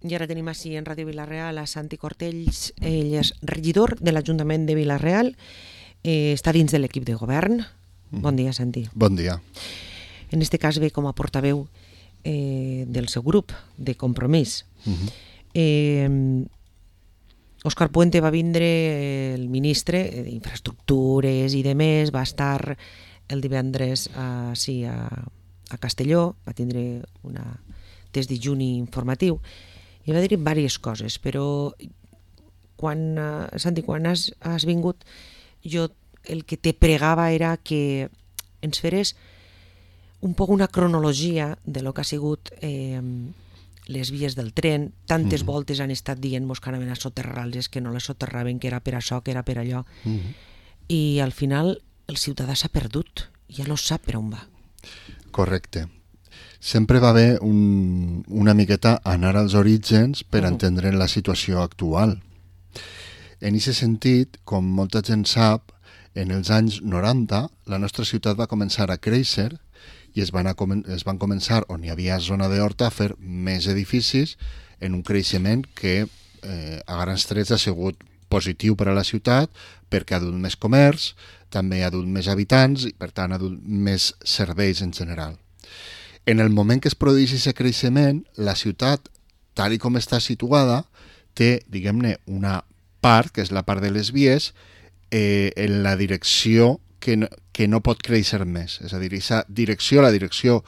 I ara tenim així en Ràdio Vila-real a Santi Cortells, ell és regidor de l'Ajuntament de Vila-real, està dins de l'equip de govern. Bon dia, Santi. Bon dia. En este cas ve com a portaveu del seu grup de Compromís. Òscar Puente va vindre, el ministre d'Infraestructures i demés, va estar el divendres a Castelló, va tindre una test de juni informatiu i va dir diverses coses, però Santi, quan has vingut, jo el que te pregava era que ens feres un poc una cronologia de lo que ha sigut les vies del tren. Tantes voltes han estat dient-nos que anaven a soterrar-les, que no les soterraven, que era per això, que era per allò. I al final el ciutadà s'ha perdut, ja no sap per on va. Correcte. Sempre va haver una miqueta anar als orígens per entendre la situació actual. En aquest sentit, com molta gent sap, en els anys 90 la nostra ciutat va començar a créixer i es van començar, on hi havia zona d'horta, a fer més edificis en un creixement que a grans trets ha sigut positiu per a la ciutat perquè ha dut més comerç, també ha dut més habitants i per tant ha dut més serveis en general. En el moment que es produeix aquest creixement, la ciutat, tal com està situada, té, diguem-ne, una part, que és la part de les vies, en la direcció que no pot créixer més. És a dir, aquesta direcció, la direcció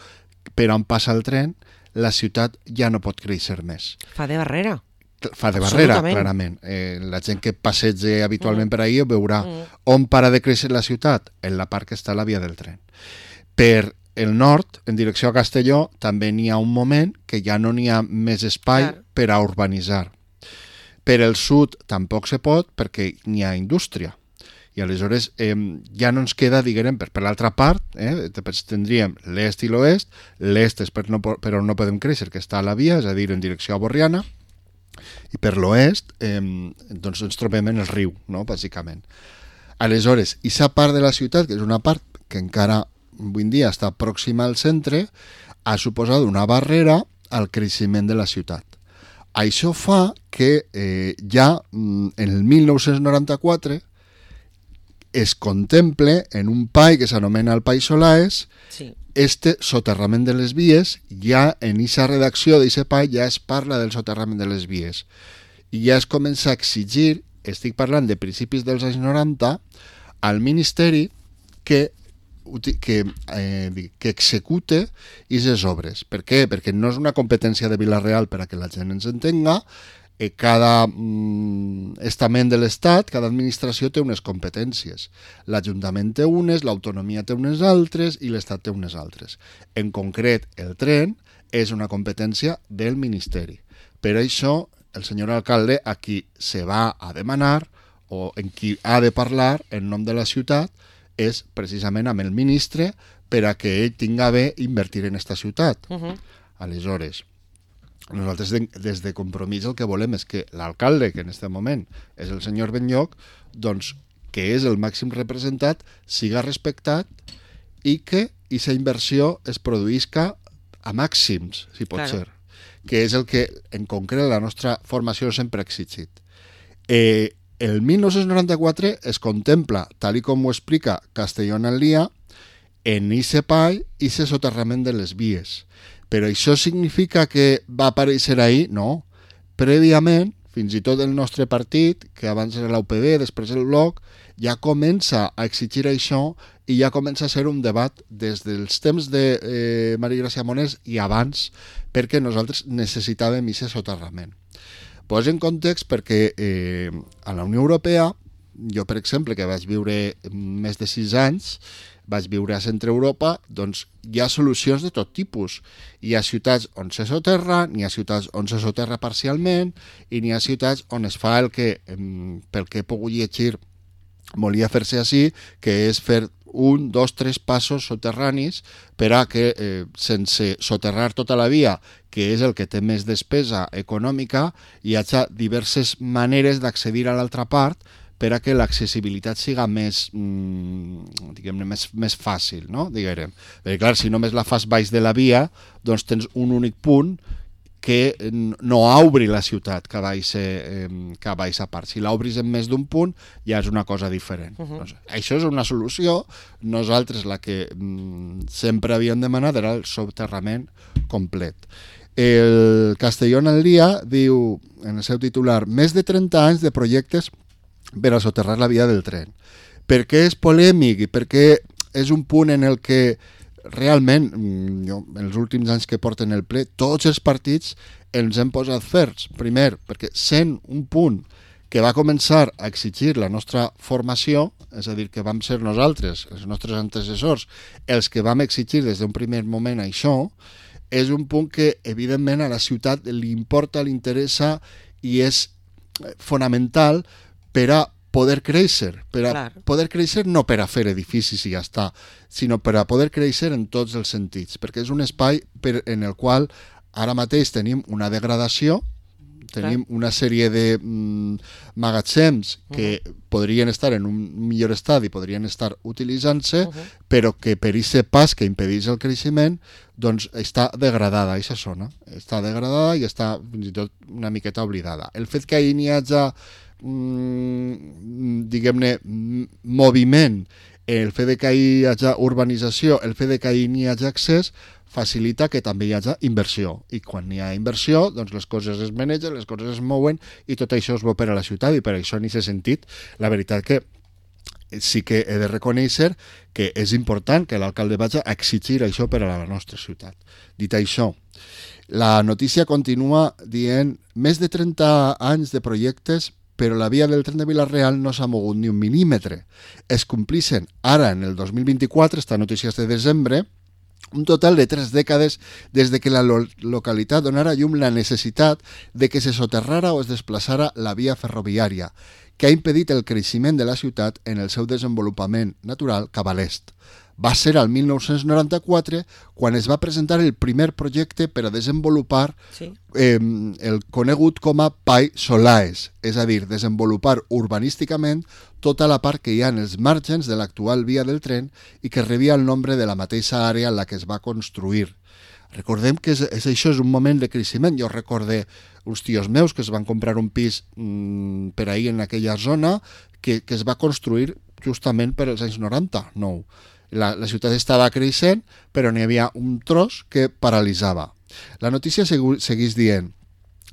per on passa el tren, la ciutat ja no pot créixer més. Fa de barrera. Fa de barrera, clarament. La gent que passegi habitualment per ahí veurà on para de créixer la ciutat, en la part que està a la via del tren. Per el nord, en direcció a Castelló, també n'hi ha un moment que ja no n'hi ha més espai per a urbanitzar. Per el sud tampoc se pot perquè n'hi ha indústria. I aleshores ja no ens queda, diguem, per l'altra part, tindríem l'est i l'oest. L'est és per on no podem créixer, que està a la via, és a dir, en direcció a Borriana, i per l'oest doncs ens trobem en el riu, no?, bàsicament. Aleshores, aquesta part de la ciutat, que és una part que encara avui en dia està pròxima al centre, ha suposat una barrera al creixement de la ciutat. Això fa que ja en el 1994 es contemple en un PAI que s'anomena el PAI Solaes este soterrament de les vies. Ja en aquesta redacció d'aquest PAI ja es parla del soterrament de les vies i ja es comença a exigir, estic parlant de principis dels anys 90, al Ministeri que execute aquestes obres. Per què? Perquè no és una competència de Vila-real, per a que la gent ens entenga. Cada estament de l'Estat, cada administració té unes competències. L'Ajuntament té unes, l'autonomia té unes altres i l'Estat té unes altres. En concret, el tren és una competència del Ministeri. Per això, el senyor alcalde a qui se va a demanar o en qui ha de parlar en nom de la ciutat és precisament amb el ministre per a que ell tinga bé invertir en aquesta ciutat. Aleshores, nosaltres des de Compromís el que volem és que l'alcalde, que en aquest moment és el senyor Benlloch, doncs que és el màxim representat, siga respectat i que aquesta inversió es produïsca a màxims, si pot ser, que és el que en concret la nostra formació sempre ha exigit. El 1994 es contempla, tal com ho explica Castelló en el dia, en aquest PAI i aquest soterrament de les vies. Però això significa que va aparèixer ahir? No. Prèviament, fins i tot el nostre partit, que abans era l'UPB, després el Bloc, ja comença a exigir això i ja comença a ser un debat des dels temps de Maria Gràcia Monés i abans, perquè nosaltres necessitàvem aquest soterrament. Poso en context perquè a la Unió Europea, jo per exemple, que vaig viure més de 6 anys, vaig viure a Centre Europa, doncs hi ha solucions de tot tipus. Hi ha ciutats on se soterra, n'hi ha ciutats on se soterra parcialment i n'hi ha ciutats on es fa el que, pel que he pogut llegir, volia fer-se així, que és fer 1, 2, 3 passos soterranis per a que, sense soterrar tota la via, que és el que té més despesa econòmica, hi hagi diverses maneres d'accedir a l'altra part per a que l'accessibilitat siga més, diguem-ne, més fàcil, no? Diguem. Perquè, clar, si només la fas baix de la via, doncs tens un únic punt que no obri la ciutat que va a aquesta part. Si l'obris en més d'un punt, ja és una cosa diferent. Això és una solució. Nosaltres la que sempre havíem demanat era el soterrament complet. El Castellón al Día diu, en el seu titular, més de 30 anys de projectes per a soterrar la via del tren. Per què és polèmic i per què és un punt en el que realment, jo, en els últims anys que porten el ple, tots els partits ens hem posat ferms. Primer, perquè sent un punt que va començar a exigir la nostra formació, és a dir, que vam ser nosaltres, els nostres antecessors, els que vam exigir des d'un primer moment això, és un punt que, evidentment, a la ciutat li importa, li interessa i és fonamental per a poder créixer, poder créixer no per a fer edificis i ja està, sinó per a poder créixer en tots els sentits, perquè és un espai en el qual ara mateix tenim una degradació, tenim una sèrie de magatzems que podrien estar en un millor estat i podrien estar utilitzant-se, però que per aquest pas que impedeix el creixement, doncs està degradada, aquesta zona. Està degradada i està fins i tot una miqueta oblidada. El fet que hi hagi diguem-ne moviment, el fet que hi hagi urbanització, el fet que hi hagi accés facilita que també hi hagi inversió, i quan hi ha inversió doncs les coses es manegen, les coses es mouen i tot això és bo per a la ciutat, i per això en aquest sentit la veritat que sí que he de reconèixer que és important que l'alcalde vagi a exigir això per a la nostra ciutat. Dit això, la notícia continua dient més de 30 anys de projectes, però la via del tren de Vila-real no s'ha mogut ni un mil·límetre. Es complixen ara, en el 2024, esta notícia és de desembre, un total de 3 dècades des de que la localitat donara llum la necessitat de que se soterrara o es desplaçara la via ferroviària, que ha impedit el creixement de la ciutat en el seu desenvolupament natural cap a l'est. Va ser al 1994 quan es va presentar el primer projecte per a desenvolupar el conegut com a PAI Solaes, és a dir, desenvolupar urbanísticament tota la part que hi ha en els màrgens de l'actual via del tren i que rebia el nombre de la mateixa àrea en la que es va construir. Recordem que això és un moment de creixement. Jo recorde uns tios meus que es van comprar un pis per ahir en aquella zona que es va construir justament per als anys 90, no. La ciutat estava creixent, però n'hi havia un tros que paralitzava. La notícia segueix dient: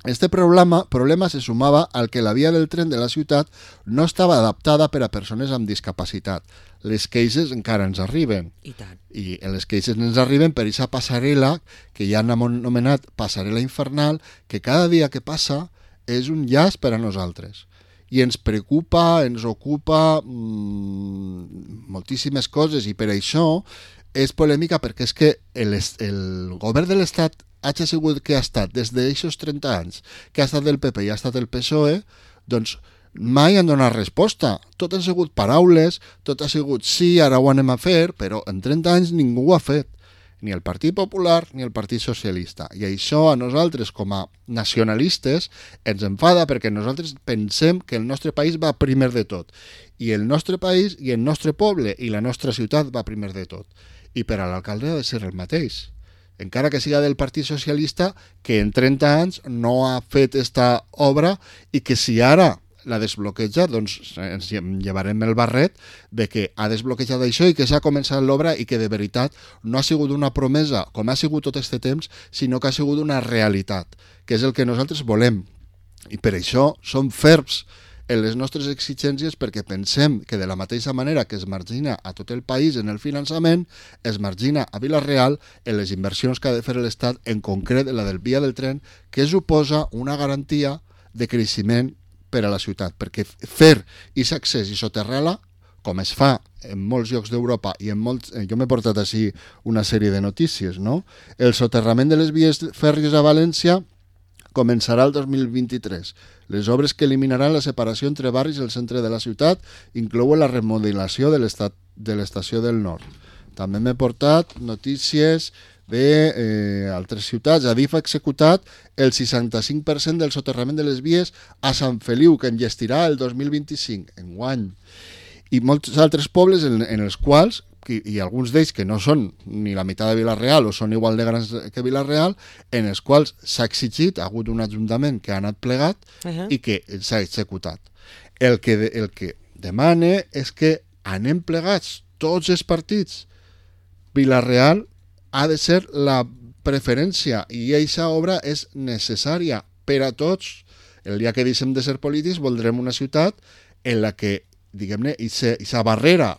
este problema se sumava al que la via del tren de la ciutat no estava adaptada per a persones amb discapacitat. Les queixes encara ens arriben. I tant. I les queixes ens arriben per aquesta passarel·la que ja han anomenat passarel·la infernal, que cada dia que passa és un llast per a nosaltres. I ens preocupa, ens ocupa moltíssimes coses, i per això és polèmica, perquè és que el govern de l'Estat hagi sigut que ha estat des d'aquests 30 anys, que ha estat del PP i ha estat del PSOE, doncs mai han donat resposta. Tot han sigut paraules, tot ha sigut sí, ara ho anem a fer, però en 30 anys ningú ho ha fet. Ni el Partit Popular ni el Partit Socialista. I això a nosaltres, com a nacionalistes, ens enfada, perquè nosaltres pensem que el nostre país va primer de tot. I el nostre país i el nostre poble i la nostra ciutat va primer de tot. I per a l'alcalde ha de ser el mateix. Encara que siga del Partit Socialista, que en 30 anys no ha fet esta obra, i que si ara la desbloqueja, doncs ens llevarem el barret de que ha desbloquejat això i que s'ha començat l'obra, i que de veritat no ha sigut una promesa com ha sigut tot aquest temps, sinó que ha sigut una realitat, que és el que nosaltres volem. I per això som ferms en les nostres exigències, perquè pensem que de la mateixa manera que es margina a tot el país en el finançament, es margina a Vila-real en les inversions que ha de fer l'Estat, en concret la del via del tren, que suposa una garantia de creixement per a la ciutat, perquè fer aquest accés i soterrar-la, com es fa en molts llocs d'Europa i en molts... Jo m'he portat així una sèrie de notícies, no? El soterrament de les vies fèrries a València començarà el 2023. Les obres que eliminaran la separació entre barris i el centre de la ciutat inclouen la remodelació de l'estació del Nord. També m'he portat notícies d'altres ciutats. Adif ha executat el 65% del soterrament de les vies a Sant Feliu, que enllestirà el 2025, enguany. I molts altres pobles en els quals, i alguns d'ells que no són ni la meitat de Vila-real o són igual de grans que Vila-real, en els quals s'ha exigit, ha hagut un ajuntament que ha anat plegat i que s'ha executat. El que demane és que anem plegats tots els partits. Vila-real ha de ser la preferència i aquesta obra és necessària per a tots. El dia que deixem de ser polítics voldrem una ciutat en la que, diguem-ne, aquesta barrera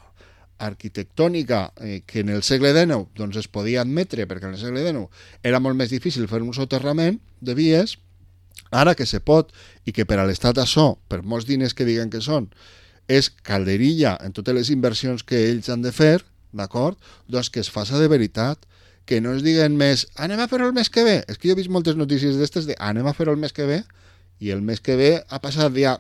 arquitectònica que en el segle XIX doncs es podia admetre, perquè en el segle XIX era molt més difícil fer un soterrament de vies, ara que se pot i que per a l'Estat això, per molts diners que diguen que són, és calderilla en totes les inversions que ells han de fer, d'acord? Doncs que es faça de veritat, que no es diguen més anem a fer-ho el mes que ve. És que jo he vist moltes notícies d'estes de anem a fer-ho el mes que ve i el mes que ve ha passat ja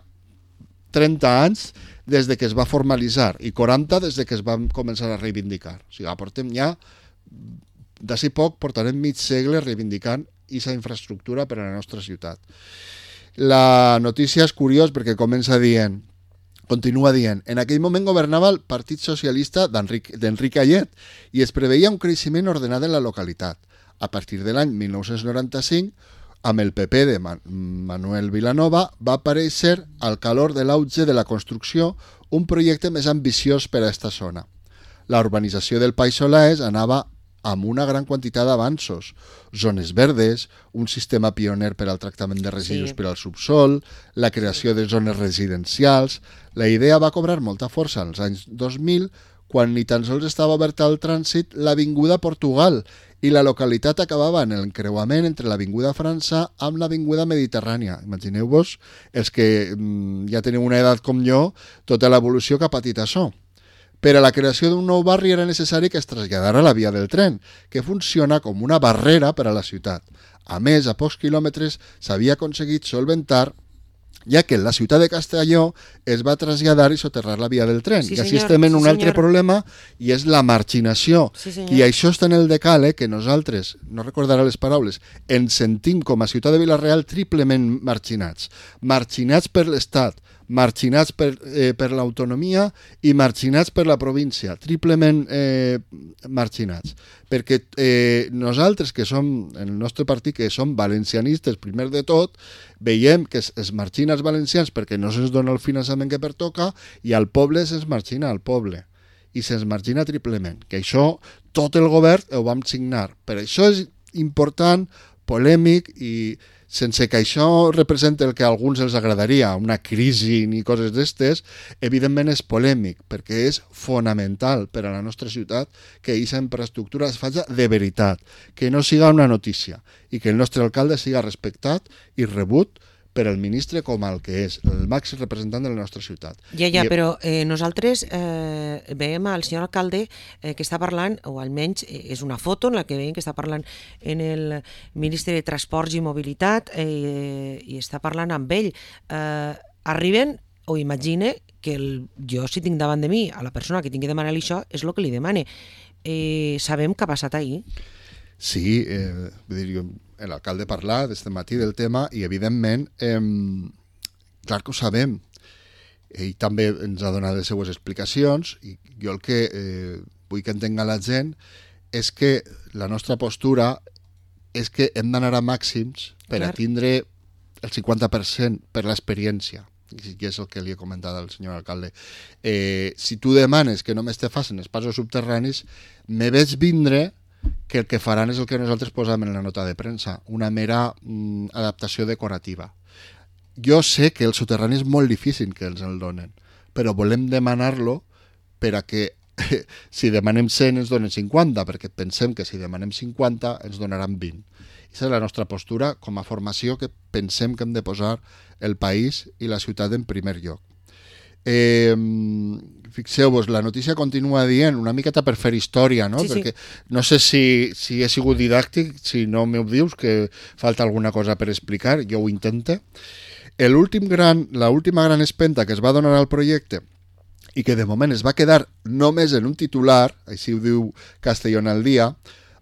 30 anys des de que es va formalitzar i 40 des de que es van començar a reivindicar. O sigui, portem ja, d'ací poc, portarem mig segle reivindicant aquesta infraestructura per a la nostra ciutat. La notícia és curiós perquè continua dient, en aquell moment governava el Partit Socialista d'Enric Ayet i es preveia un creixement ordenat en la localitat. A partir de l'any 1995, amb el PP de Manuel Vilanova, va aparèixer al calor de l'auge de la construcció un projecte més ambiciós per a aquesta zona. La urbanització del País Solàs anava amb una gran quantitat d'avanços, zones verdes, un sistema pioner per al tractament de residus per al subsol, la creació de zones residencials. La idea va cobrar molta força als anys 2000, quan ni tan sols estava oberta al trànsit l'Avinguda Portugal i la localitat acabava en l'encreuament entre l'Avinguda França amb l'Avinguda Mediterrània. Imagineu-vos, els que ja teniu una edat com jo, tota l'evolució que ha patit això. Per a la creació d'un nou barri era necessari que es traslladara la via del tren, que funciona com una barrera per a la ciutat. A més, a pocs quilòmetres s'havia aconseguit solventar, ja que la ciutat de Castelló es va traslladar i soterrar la via del tren. I així estem en un altre problema, i és la marginació. I això està en el decàleg que nosaltres, no recordaré les paraules, ens sentim com a ciutat de Vila-real triplement marginats. Marginats per l'Estat, marginats per l'autonomia i marginats per la província, triplement marginats. Perquè nosaltres, que som, el nostre partit, que som valencianistes, primer de tot, veiem que es margina els valencians perquè no se'ns dona el finançament que pertoca i al poble se'ns margina al poble. I se'ns margina triplement. Que això, tot el govern ho vam signar. Per això és important, polèmic i sense que això representi el que a alguns els agradaria, una crisi ni coses d'estes, evidentment és polèmic, perquè és fonamental per a la nostra ciutat que aquesta infraestructura es faci de veritat, que no siga una notícia i que el nostre alcalde siga respectat i rebut per el ministre com el que és, el màxim representant de la nostra ciutat. Però nosaltres veiem al senyor alcalde que està parlant, o almenys és una foto en la que veiem que està parlant en el ministre de Transports i Mobilitat i està parlant amb ell. Arriben, o imagine, que jo si tinc davant de mi a la persona que tingui que demanar-li això és el que li demane. Sabem què ha passat ahir? Sí, vull dir, l'alcalde parla d'aquest matí del tema i, evidentment, clar que ho sabem. Ell també ens ha donat les seues explicacions i jo el que vull que entenga la gent és que la nostra postura és que hem d'anar a màxims per a tindre el 50% per l'experiència. I és el que li he comentat al senyor alcalde. Si tu demanes que només te facin els passos subterranis, me veig vindre que el que faran és el que nosaltres posam en la nota de premsa, una mera adaptació decorativa. Jo sé que el soterrani és molt difícil que ens el donen, però volem demanar-lo per a que si demanem 100 ens donen 50, perquè pensem que si demanem 50 ens donaran 20. Aquesta és la nostra postura com a formació, que pensem que hem de posar el país i la ciutat en primer lloc. Fixeu-vos, la notícia continua dient una miqueta per fer història, no? Perquè no sé si he sigut didàctic, si no m'ho dius, que falta alguna cosa per explicar, jo ho intente. L'última gran espenta que es va donar al projecte i que de moment es va quedar només en un titular, així ho diu Castellón al Dia,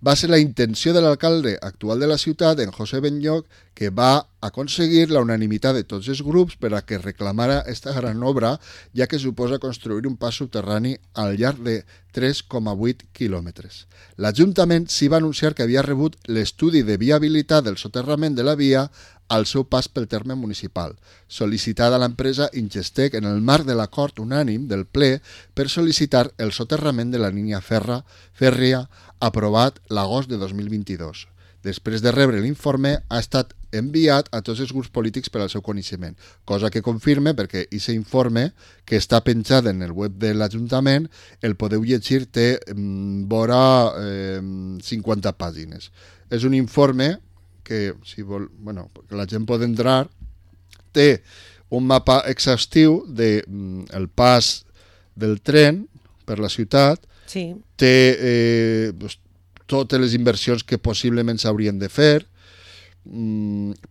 va ser la intenció de l'alcalde actual de la ciutat, en José Benlloch, que va aconseguir la unanimitat de tots els grups per a que reclamara esta gran obra, ja que suposa construir un pas subterrani al llarg de 3,8 quilòmetres. L'Ajuntament s'hi va anunciar que havia rebut l'estudi de viabilitat del soterrament de la via al seu pas pel terme municipal, sol·licitada a l'empresa Ingestec en el marc de l'acord unànim del ple per sol·licitar el soterrament de la línia fèrria aprovat l'agost de 2022. Després de rebre l'informe, ha estat enviat a tots els grups polítics per al seu coneixement, cosa que confirme perquè aquest informe, que està penjat en el web de l'Ajuntament, el podeu llegir, té vora 50 pàgines. És un informe que, si vol, bueno, que la gent pot entrar, té un mapa exhaustiu del pas del tren per la ciutat, Sí. té totes les inversions que possiblement s'haurien de fer,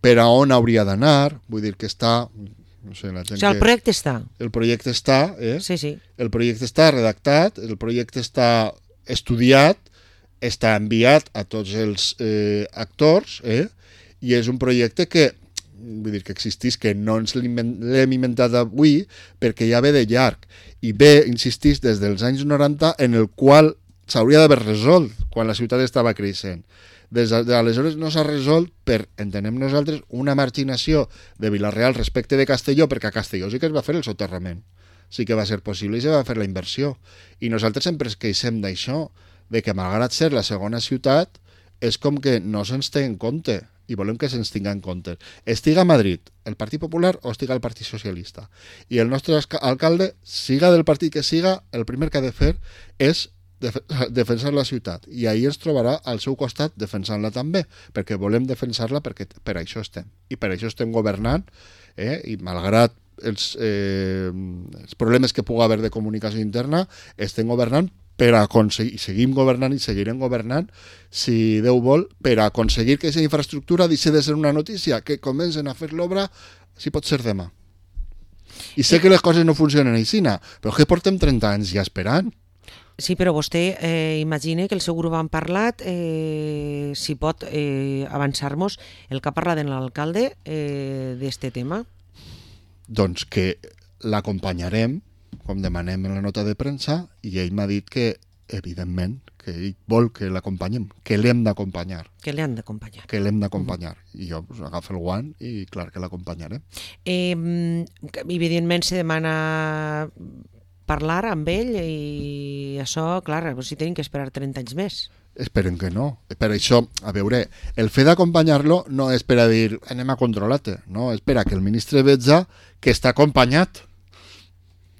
per a on hauria d'anar, vull dir que està... No sé, la gent O sigui, el projecte està. El projecte està, Sí, sí. el projecte està redactat, el projecte està estudiat, està enviat a tots els actors, i és un projecte que, vull dir que existís, que no ens l'hem inventat avui, perquè ja ve de llarg, i ve, insistís, des dels anys 90, en el qual s'hauria d'haver resolt quan la ciutat estava creixent. Des d'aleshores no s'ha resolt per, entenem nosaltres, una marginació de Vila-real respecte de Castelló, perquè a Castelló sí que es va fer el soterrament, sí que va ser possible i se va fer la inversió. I nosaltres sempre es queixem d'això, de que malgrat ser la segona ciutat, és com que no se'ns té en compte, i volem que se'ns tinga en compte. Estiga a Madrid el Partit Popular o estiga el Partit Socialista. I el nostre alcalde, siga del partit que siga, el primer que ha de fer és defensar la ciutat, i ahir ens trobarà al seu costat defensant-la també, perquè volem defensar-la, perquè per això estem, i per això estem governant, i malgrat els problemes que pugui haver de comunicació interna, estem governant per aconseguir, seguim governant i seguirem governant, si Déu vol, per aconseguir que aquesta infraestructura deixi de ser una notícia, que comencen a fer l'obra, si pot ser demà. I sé que les coses no funcionen així, però que portem 30 anys ja esperant. Sí, però vostè imagina que el seu grup han parlat, si pot avançar-nos el que ha parlat en l'alcalde d'este tema. Doncs que l'acompanyarem, com demanem en la nota de premsa, i ell m'ha dit que, evidentment, que ell vol que l'acompanyem, que l'hem d'acompanyar. Que l'han d'acompanyar. Que l'hem d'acompanyar. I jo agafo el guant i clar que l'acompanyarem. Evidentment se demana parlar amb ell i això, clar, si tenim que esperar 30 anys més. Esperem que no. Per això, a veure, el fet d'acompanyar-lo no és per a dir anem a controlar-te, no, és per a que el ministre veja que està acompanyat,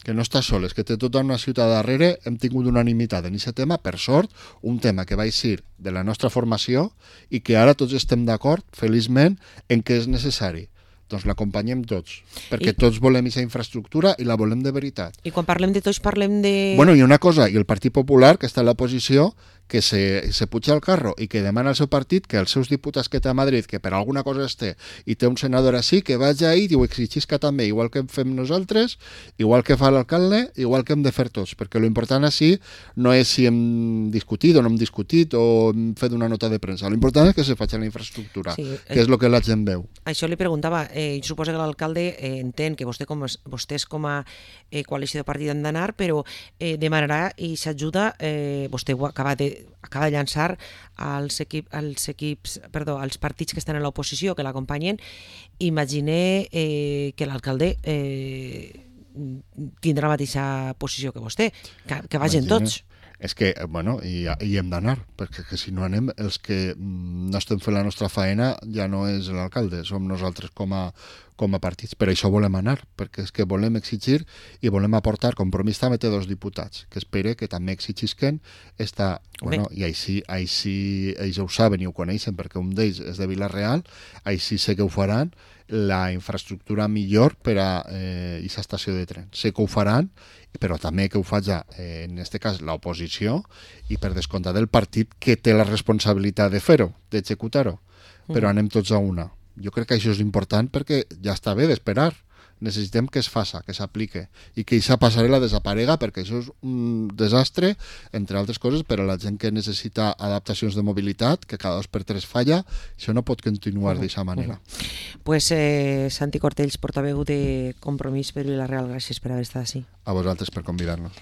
que no està sol, és que té tota una ciutat darrere. Hem tingut unanimitat en aquest tema, per sort, un tema que va eixir de la nostra formació i que ara tots estem d'acord, feliçment, en què és necessari. Doncs l'acompanyem tots, perquè tots volem aquesta infraestructura i la volem de veritat. I quan parlem de tots parlem de... Bueno, i una cosa, i el Partit Popular, que està en la posició, que se puja al carro i que demana al seu partit que els seus diputats que té a Madrid, que per alguna cosa es té, i té un senador així, que vagi ahí i ho exigisca també, igual que fem nosaltres, igual que fa l'alcalde, igual que hem de fer tots, perquè l'important així no és si hem discutit o no hem discutit o hem fet una nota de premsa, l'important és que se faci la infraestructura, sí, que és el que la gent veu. Això li preguntava, jo suposo que l'alcalde entén que vostès com a coalició de partit han d'anar, però demanarà i s'ajuda, vostè ho acaba de llançar als partits que estan en l'oposició, que l'acompanyen. Imagine que l'alcalde tindrà la mateixa posició que vostè, que vagin tots. És que, bueno, hi hem d'anar, perquè si no anem, els que no estem fent la nostra faena ja no és l'alcalde, som nosaltres com a partits. Per això volem anar, perquè és que volem exigir i volem aportar. Compromís també té 2 diputats, que espere que també exigisquen esta... Bueno, i així ells ho saben i ho coneixen, perquè un d'ells és de Vila-real, així sé que ho faran, la infraestructura millor per a aquesta estació de tren. Sé que ho faran, però també que ho faci, en aquest cas, l'oposició, i per descomptat del partit que té la responsabilitat de fer-ho, d'executar-ho. Però anem tots a una. Jo crec que això és important perquè ja està bé d'esperar. necessitem que es faça, que s'aplique i que aquesta passarel·la desaparega, perquè això és un desastre, entre altres coses, per a la gent que necessita adaptacions de mobilitat, que cada 2x3 falla. Això no pot continuar d'aquesta manera. Pues Santi Cortells, portaveu de Compromís per Vila-real, gràcies per haver estat així. A vosaltres per convidar-nos.